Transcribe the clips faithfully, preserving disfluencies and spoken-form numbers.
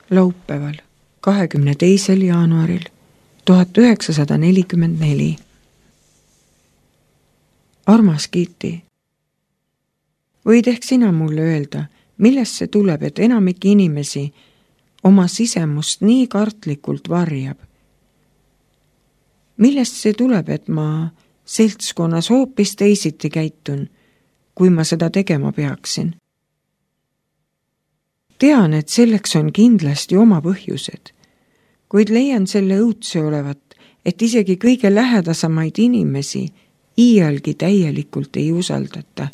laupäeval, kahekümne teisel jaanuaril tuhat üheksasada nelikümmend neli. Armas Kitty, võid ehk sina mulle öelda, millest see tuleb, et enamik inimesi oma sisemust nii kartlikult varjab? Millest see tuleb, et ma seltskonnas hoopis teisiti käitun, kui ma seda tegema peaksin? Tean, et selleks on kindlasti oma põhjused, kuid leian selle õudse olevat, et isegi kõige lähedasemaid inimesi iialgi täielikult ei usaldata.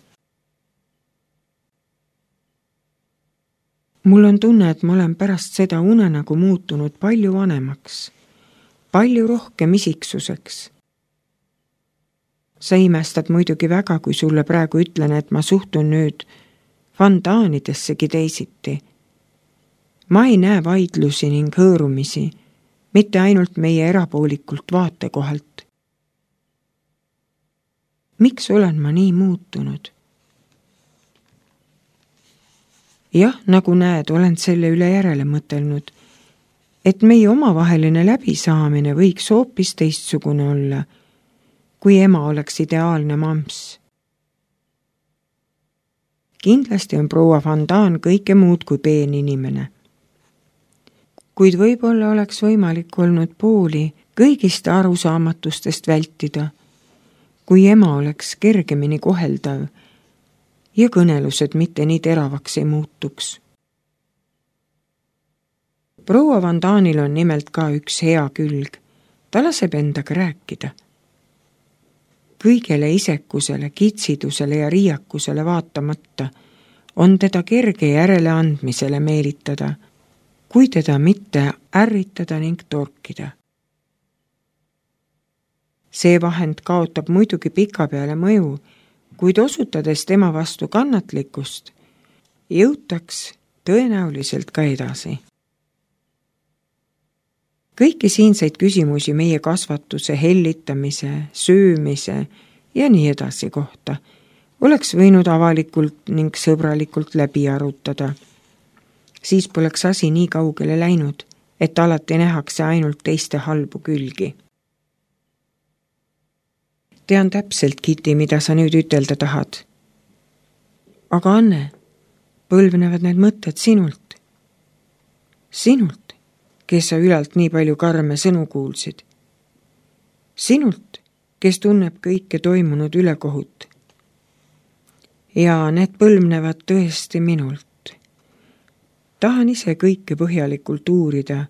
Mul on tunne, et ma olen pärast seda unenägu muutunud palju vanemaks, palju rohkem isiksuseks. Sa imestad muidugi väga, kui sulle praegu ütlen, et ma suhtun nüüd vandaanidessegi teisiti. Ma ei näe vaidlusi ning hõõrumisi, mitte ainult meie erapoolikult vaatekohalt. Miks olen ma nii muutunud? Jah, nagu näed, olen selle üle järele mõtelnud, et meie omavaheline läbisaamine võiks hoopis teistsugune olla, kui ema oleks ideaalne mamps. Kindlasti on proua Van Daan kõike muud kui peen inimene. Kuid võib-olla oleks võimalik olnud pooli kõigist arusaamatustest vältida, kui ema oleks kergemini koheldav ja kõnelused mitte nii teravaks ei muutuks. Proua Van Daanil on nimelt ka üks hea külg. Ta laseb endaga rääkida. Kõigele isekusele, kitsidusele ja riiakusele vaatamata on teda kerge järeleandmisele meelitada, kui teda mitte ärritada ning torkida. See vahend kaotab muidugi pika peale mõju, kuid osutades tema vastu kannatlikkust, jõutaks tõenäoliselt ka edasi. Kõiki siinseid küsimusi meie kasvatuse, hellitamise, söömise ja nii edasi kohta oleks võinud avalikult ning sõbralikult läbi arutada. Siis poleks asi nii kaugele läinud, et alati nähakse ainult teiste halbu külgi. Tean täpselt, Kitty, mida sa nüüd ütelda tahad. Aga Anne, põlvnevad need mõtted sinult. Sinult, kes sa ülalt nii palju karme sõnu kuulsid. Sinult, kes tunneb kõike toimunud ülekohut. Ja need põlvnevad tõesti minult. Tahan ise kõike põhjalikult uurida,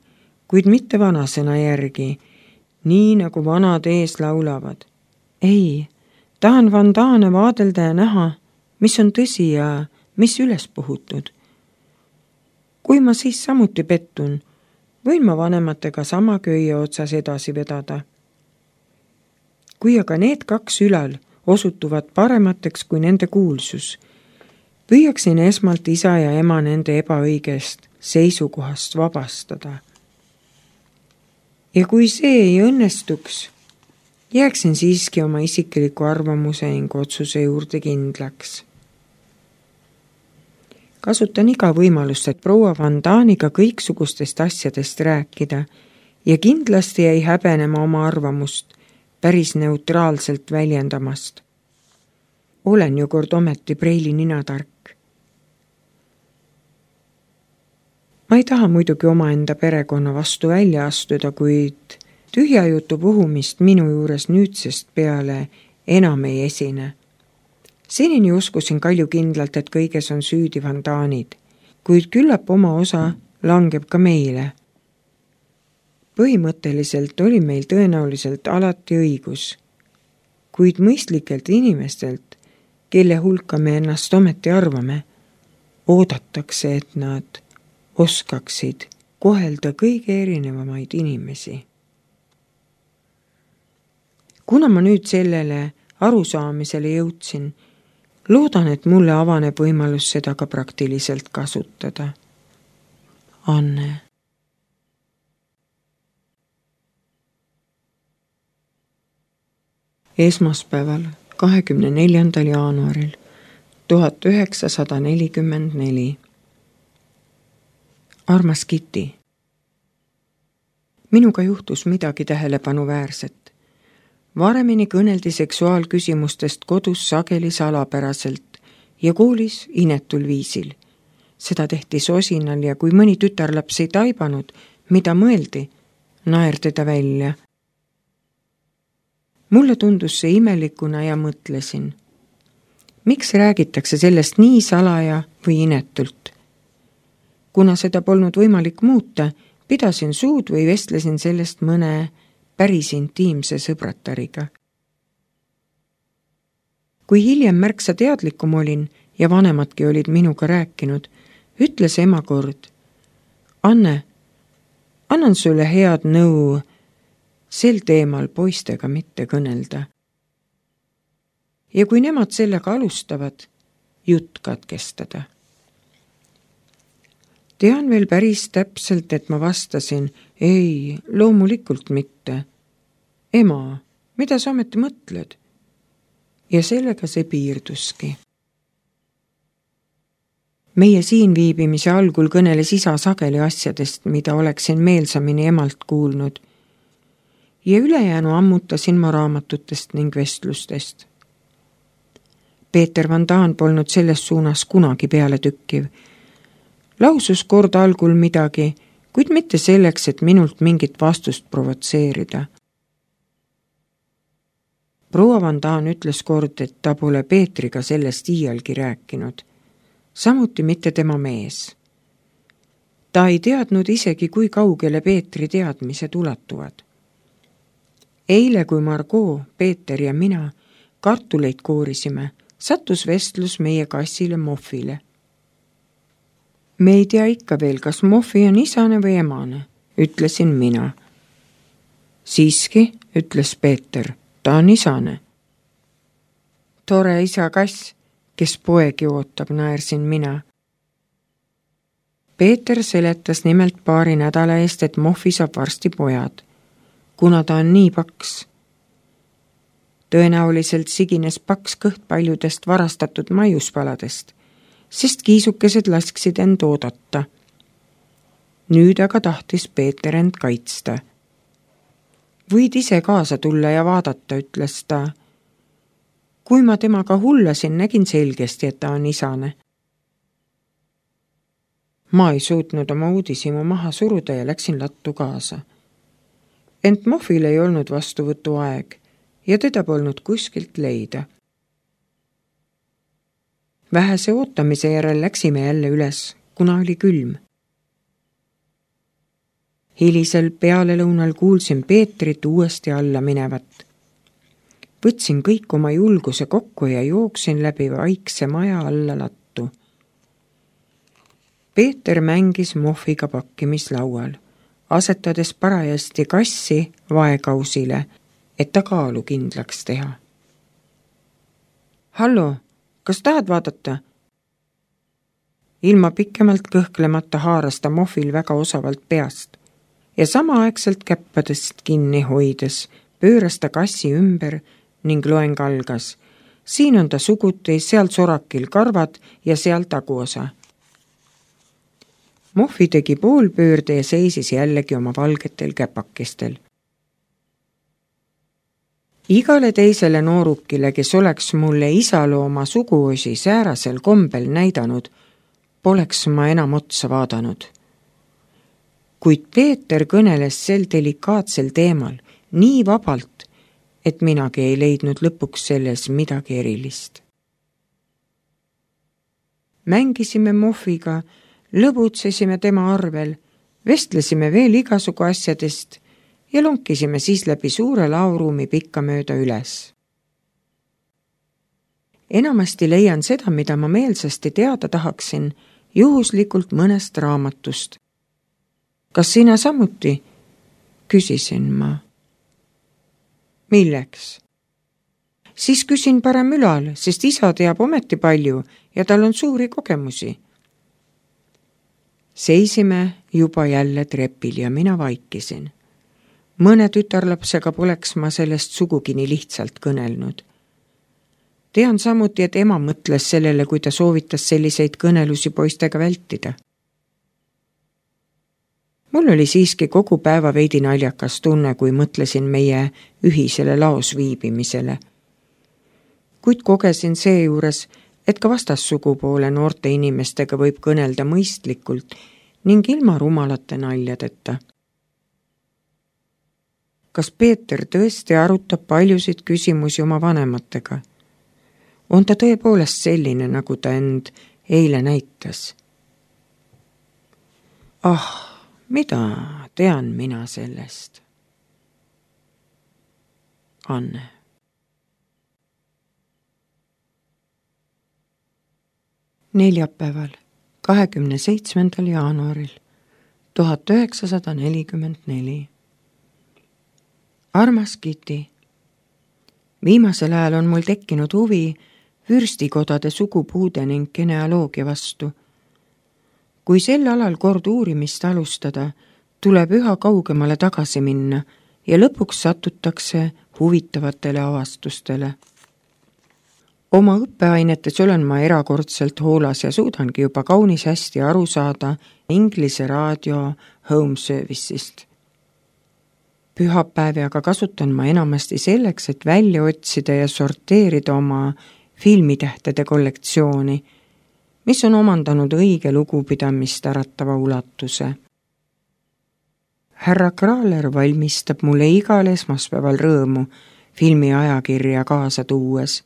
kuid mitte vanasõna järgi, nii nagu vanad ees laulavad. Ei, tahan Van Daane vaadelda ja näha, mis on tõsi ja mis üles puhutud. Kui ma siis samuti pettun, võin ma vanematega sama köie otsas edasi vedada. Kui aga need kaks ülal osutuvad paremateks kui nende kuulsus, püüaksin esmalt isa ja ema nende ebaõigest seisukohast vabastada. Ja kui see ei õnnestuks, jääksin siiski oma isikliku arvamuse ning otsuse juurde kindlaks. Kasutan iga võimalust, et proua Van Daaniga kõiksugustest asjadest rääkida ja kindlasti ei häbenema oma arvamust päris neutraalselt väljendamast. Olen ju kord ometi preili ninatark. Ma ei taha muidugi omaenda perekonna vastu välja astuda, kuid tühja jutu puhumist minu juures nüüdsest peale enam ei esine. Senini uskusin kaljukindlalt, et kõiges on süüdi Van Daanid, kuid küllap oma osa langeb ka meile. Põhimõtteliselt oli meil tõenäoliselt alati õigus, kuid mõistlikelt inimestelt, kelle hulka me ennast ometi arvame, oodatakse, et nad oskaksid kohelda kõige erinevamaid inimesi. Kuna ma nüüd sellele arusaamisele jõudsin, loodan, et mulle avaneb võimalus seda ka praktiliselt kasutada. Anne. Esmaspäeval, kahekümne neljandal jaanuaril tuhat üheksasada nelikümmend neli. armas Kitty. Minuga juhtus midagi tähelepanuväärset. Varemini kõneldi seksuaalküsimustest kodus sageli salapäraselt ja koolis inetul viisil. Seda tehti sosinal ja kui mõni tütarlaps ei taibanud, mida mõeldi, naerdi ta välja. Mulle tundus see imelikuna ja mõtlesin, miks räägitakse sellest nii salaja või inetult? Kuna seda polnud võimalik muuta, pidasin suud või vestlesin sellest mõne päris intiimse sõbratariga. Kui hiljem märksa teadlikum olin ja vanemadki olid minuga rääkinud, ütles ema kord, Anne, annan sulle head nõu sel teemal poistega mitte kõnelda. Ja kui nemad sellega alustavad, jutt katkestada. Tean veel päris täpselt, et ma vastasin, ei, loomulikult mitte. Ema, mida sa ometi mõtled? Ja sellega see piirduski. Meie siin viibimise algul kõneles isa sageli asjadest, mida oleksin meelsamini emalt kuulnud. Ja ülejäänu ammutasin ma raamatutest ning vestlustest. Peeter Van Daan polnud selles suunas kunagi peale tükkiv. Lausus kord algul midagi, kuid mitte selleks, et minult mingit vastust provotseerida. Proua Van Daan ütles kord, et ta pole Peetriga sellest iialgi rääkinud. Samuti mitte tema mees. Ta ei teadnud isegi, kui kaugele Peetri teadmised ulatuvad. Eile, kui Margot, Peeter ja mina kartuleid koorisime, sattus vestlus meie kassile Moffile. Me ei tea ikka veel, kas Moffi on isane või emane, ütlesin mina. Siiski, ütles Peeter, ta on isane. Tore isa kass, kes poegi ootab, naersin mina. Peeter seletas nimelt paari nädala eest, et Moffi saab varsti pojad, kuna ta on nii paks. Tõenäoliselt sigines paks kõht paljudest varastatud maiuspaladest, sest kiisukesed lasksid end oodata. Nüüd aga tahtis Peeter end kaitsta. Võid ise kaasa tulla ja vaadata, ütles ta. Kui ma temaga hullasin, nägin selgesti, et ta on isane. Ma ei suutnud oma uudisimu maha suruda ja läksin lattu kaasa. Ent Moffil ei olnud vastuvõtu aeg ja teda polnud kuskilt leida. Vähese ootamise järel läksime jälle üles, kuna oli külm. Hilisel pealelõunal kuulsin Peetrit uuesti alla minevat. Võtsin kõik oma julguse kokku ja jooksin läbi vaikse maja alla lattu. Peeter mängis Moffiga pakkimislaual, asetades parajasti kassi vaekausile, et ta kaalu kindlaks teha. Hallo, kas tahad vaadata? Ilma pikemalt kõhklemata haaras ta Moffil väga osavalt peast ja samaaegselt käppadest kinni hoides pööras ta kassi ümber ning loeng algas. Siin on ta suguti, seal sorakil karvad ja seal taguosa. Moffi tegi poolpöörde ja seisis jällegi oma valgetel käpakestel. Igale teisele noorukile, kes oleks mulle isalooma suguosi säärasel kombel näidanud, poleks ma enam otsa vaadanud. Kuid Peeter kõneles sel delikaatsel teemal nii vabalt, et minagi ei leidnud lõpuks selles midagi erilist. Mängisime Moffiga, lõbutsesime tema arvel, vestlesime veel igasugu asjadest ja lonkisime siis läbi suure laoruumi pikka mööda üles. Enamasti leian seda, mida ma meelsasti teada tahaksin, juhuslikult mõnest raamatust. Kas sina samuti? Küsisin ma. Milleks? Siis küsin parem ülal, sest isa teab ometi palju ja tal on suuri kogemusi. Seisime juba jälle trepil ja mina vaikisin. Mõne tütarlapsega poleks ma sellest sugugi nii lihtsalt kõnelnud. Tean samuti, et ema mõtles sellele, kui ta soovitas selliseid kõnelusi poistega vältida. Mul oli siiski kogu päeva veidi naljakas tunne, kui mõtlesin meie ühisele laos viibimisele. Kuid kogesin seejuures, et ka vastassugupoole noorte inimestega võib kõnelda mõistlikult ning ilma rumalate naljadeta. Kas Peeter tõesti arutab paljusid küsimusi oma vanematega? On ta tõepoolest selline, nagu ta end eile näitas? Ah, mida tean mina sellest? Anne. Neljapäeval, kahekümne seitsmendal jaanuaril tuhat üheksasada nelikümmend neli. Armas Kiti, viimasel ajal on mul tekkinud huvi vürstikodade sugupuude ning genealoogia vastu. Kui sel alal kord uurimist alustada, tuleb üha kaugemale tagasi minna ja lõpuks satutakse huvitavatele avastustele. Oma õppeainetes olen ma erakordselt hoolas ja suudangi juba kaunis hästi aru saada Inglise raadio home service'ist. Pühapäevi aga kasutan ma enamasti selleks, et välja otsida ja sorteerida oma filmitähtede kollektsiooni, mis on omandanud õige lugupidamist äratava ulatuse. Härra Kraaler valmistab mulle igal esmaspäeval rõõmu filmi ajakirja kaasa tuues.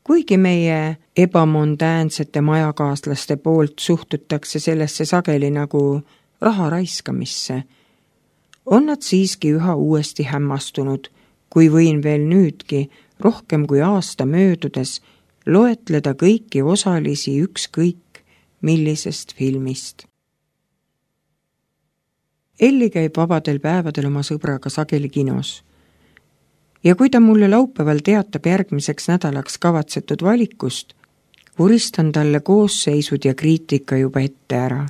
Kuigi meie ebamondäänsete majakaaslaste poolt suhtutakse sellesse sageli nagu raha raiskamisse, on nad siiski üha uuesti hämmastunud, kui võin veel nüüdki rohkem kui aasta möödudes loetleda kõiki osalisi ükskõik millisest filmist. Elli käib vabadel päevadel oma sõbraga sageli kinos. Ja kui ta mulle laupäeval teatab järgmiseks nädalaks kavatsetud valikust, vuristan talle koosseisud ja kriitika juba ette ära.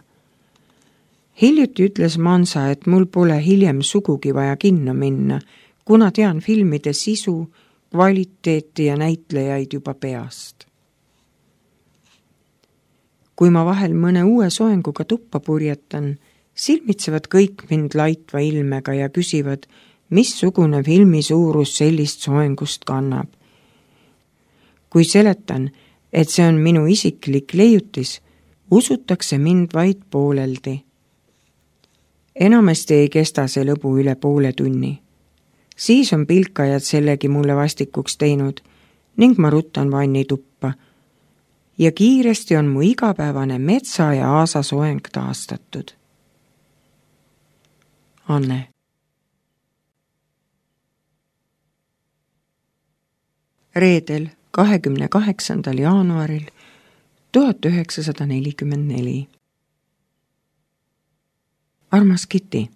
Hiljuti ütles Mansa, et mul pole hiljem sugugi vaja kinno minna, kuna tean filmide sisu, kvaliteeti ja näitlejaid juba peast. Kui ma vahel mõne uue soenguga tuppa purjetan, silmitsevad kõik mind laitva ilmega ja küsivad, missugune filmi suurus sellist soengust kannab. Kui seletan, et see on minu isiklik leiutis, usutakse mind vaid pooleldi. Enamasti ei kesta see lõbu üle poole tunni. Siis on pilkajad sellegi mulle vastikuks teinud ning ma ruttan vanni tuppa. Ja kiiresti on mu igapäevane metsa ja aasa soeng taastatud. Anne. Reedel, kahekümne kaheksandal jaanuaril tuhat üheksasada nelikümmend neli. Armas Kiti,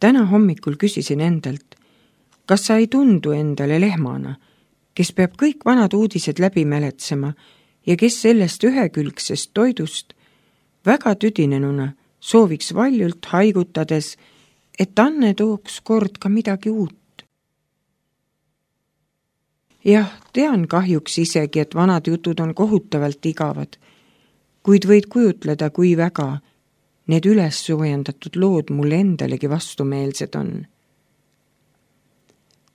täna hommikul küsisin endalt, kas sa ei tundu endale lehmana, kes peab kõik vanad uudised läbi mäletsema ja kes sellest ühekülgsest toidust väga tüdinenuna sooviks valjult haigutades, et Anne tooks kord ka midagi uut. Jah, tean kahjuks isegi, et vanad jutud on kohutavalt igavad, kuid võid kujutleda, kui väga need üles soojendatud lood mulle endalegi vastumeelsed on.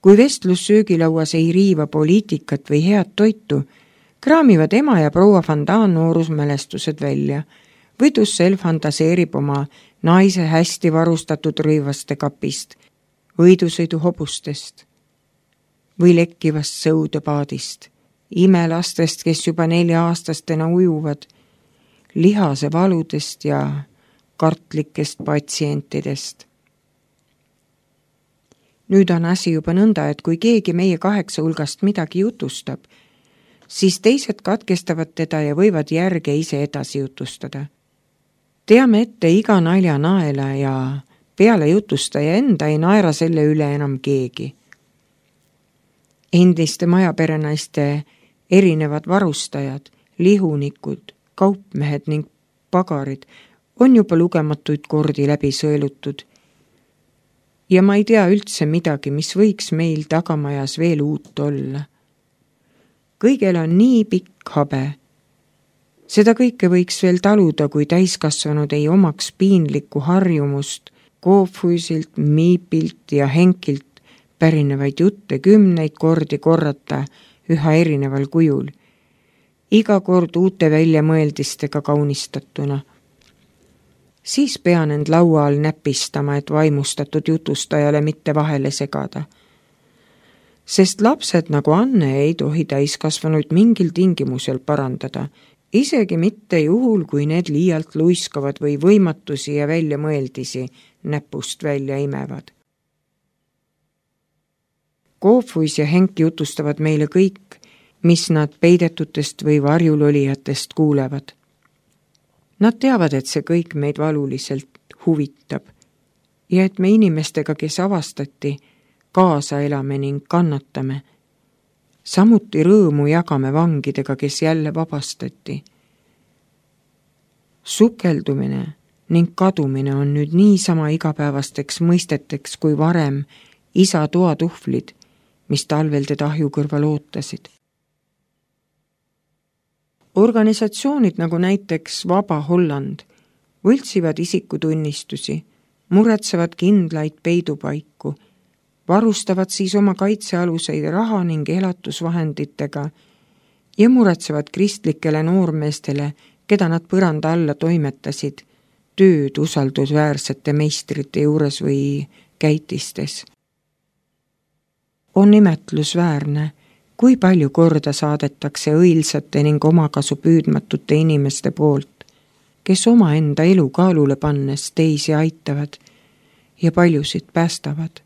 Kui vestlus söögilauas ei riiva poliitikat või head toitu, kraamivad ema ja proua Fandaan noorusmälestused välja või Dussel fantaseerib oma naise hästi varustatud rõivaste kapist, võidusõidu hobustest või lekkivast sõudepaadist, imelastest, kes juba nelja-aastastena ujuvad, lihase valudest ja kartlikest patsientidest. Nüüd on asi juba nõnda, et kui keegi meie kaheksa hulgast midagi jutustab, siis teised katkestavad teda ja võivad järge ise edasi jutustada. Teame ette iga nalja naela ja peale jutustaja enda ei naera selle üle enam keegi. Endiste majaperenaiste erinevad varustajad, lihunikud, kaupmehed ning pagarid on juba lugematuid kordi läbi sõelutud. Ja ma ei tea üldse midagi, mis võiks meil tagamajas veel uut olla. Kõigel on nii pikk habe, Seda kõike võiks veel taluda, kui täiskasvanud ei omaks piinlikku harjumust Koophuisilt, Miipilt ja Henkilt pärinevaid jutte kümneid kordi korrata üha erineval kujul, iga kord uute väljamõeldistega kaunistatuna. Siis pean end laua all näpistama, et vaimustatud jutustajale mitte vahele segada. Sest lapsed nagu Anne ei tohi täiskasvanuid mingil tingimusel parandada, isegi mitte juhul, kui need liialt luiskavad või võimatusi ja väljamõeldisi näpust välja imevad. Koophuis ja Henk jutustavad meile kõik, mis nad peidetutest või varjulolijatest kuulevad. Nad teavad, et see kõik meid valuliselt huvitab ja et me inimestega, kes avastati, kaasa elame ning kannatame. Samuti rõõmu jagame vangidega, kes jälle vabastati. Sukeldumine ning kadumine on nüüd niisama igapäevasteks mõisteteks kui varem isa toatuhvlid, mis talvel teda ahju kõrval ootasid. Organisatsioonid nagu näiteks Vaba Holland võltsivad isikutunnistusi, muretsevad kindlaid peidupaiku, varustavad siis oma kaitsealuseid raha ning elatusvahenditega ja muretsevad kristlikele noormeestele, keda nad põranda alla toimetasid, tööd usaldusväärsete meistrite juures või käitistes. On imetlusväärne, kui palju korda saadetakse õilsate ning omakasu püüdmatute inimeste poolt, kes omaenda elu kaalule pannes teisi aitavad ja paljusid päästavad.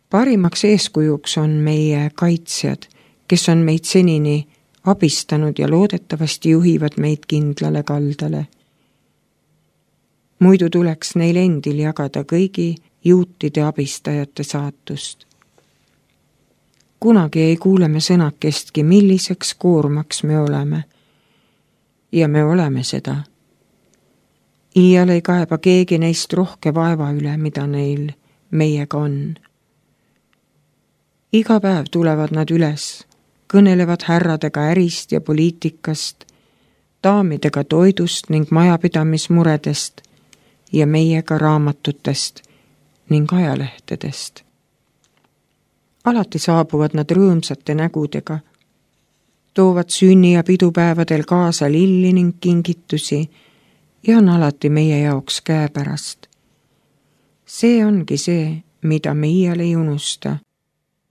Parimaks eeskujuks on meie kaitsjad, kes on meid senini abistanud ja loodetavasti juhivad meid kindlale kaldale. Muidu tuleks neil endil jagada kõigi juutide abistajate saatust. Kunagi ei kuule me sõnakestki, milliseks koormaks me oleme. Ja me oleme seda. Iial ei kaeba keegi neist rohke vaeva üle, mida neil meiega on. Iga päev tulevad nad üles, kõnelevad härradega ärist ja poliitikast, daamidega toidust ning majapidamismuredest ja meiega raamatutest ning ajalehtedest. Alati saabuvad nad rõõmsate nägudega, toovad sünni- ja pidupäevadel kaasa lilli ning kingitusi ja on alati meie jaoks käepärast. See ongi see, mida me iial ei unusta.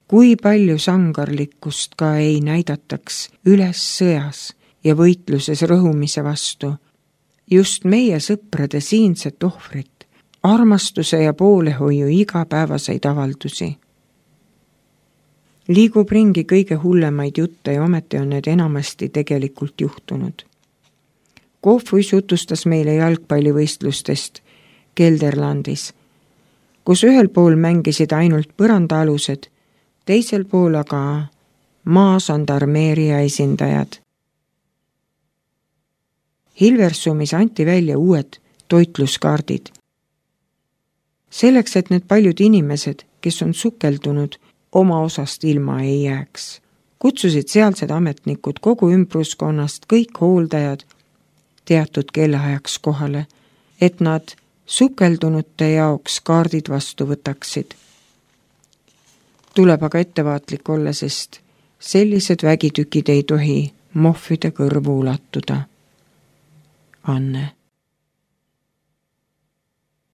Kui palju sangarlikkust ka ei näidataks üles sõjas ja võitluses rõhumise vastu, just meie sõprade siinset ohvrit, armastuse ja poolehoiu igapäevaseid avaldusi. Liigub ringi kõige hullemaid jutte ja ometi on need enamasti tegelikult juhtunud. Koophuis jutustas meile jalgpallivõistlustest Gelderlandis, kus ühel pool mängisid ainult põrandaalused, teisel pool aga maasandarmeeria esindajad. Hilversumis anti välja uued toitluskaardid. Selleks, et need paljud inimesed, kes on sukeldunud, oma osast ilma ei jääks, kutsusid sealsed ametnikud kogu ümbruskonnast kõik hooldajad teatud kellaajaks kohale, et nad sukeldunute jaoks kaardid vastu võtaksid. Tuleb aga ettevaatlik olla, sest sellised vägitükid ei tohi mohvide kõrvu ulatuda. Anne.